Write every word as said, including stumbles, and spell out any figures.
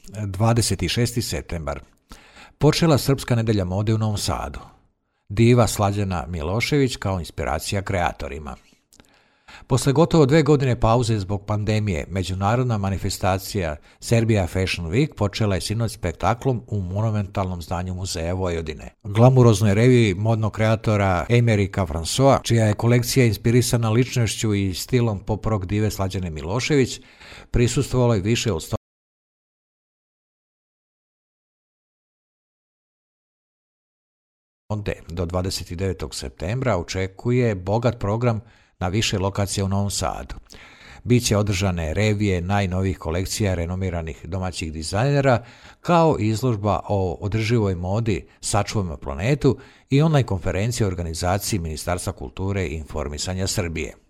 dvadeset šesti septembar. Počela Srpska nedelja mode u Novom Sadu. Diva Slađana Milošević kao inspiracija kreatorima. Posle gotovo dve godine pauze zbog pandemije, međunarodna manifestacija Serbia Fashion Week počela je sinoć spektaklom u monumentalnom zdanju Muzeja Vojvodine. Glamuroznoj reviji modnog kreatora Emerika Francoa, čija je kolekcija inspirisana ličnošću i stilom pop rock dive Slađane Milošević, prisustvovalo je više od sto do dvadeset devetog septembra očekuje bogat program na više lokacija u Novom Sadu. Biće održane revije najnovijih kolekcija renomiranih domaćih dizajnera, kao i izložba o održivoj modi Sačuvajmo planetu i online konferencija o organizaciji Ministarstva kulture i informisanja Srbije.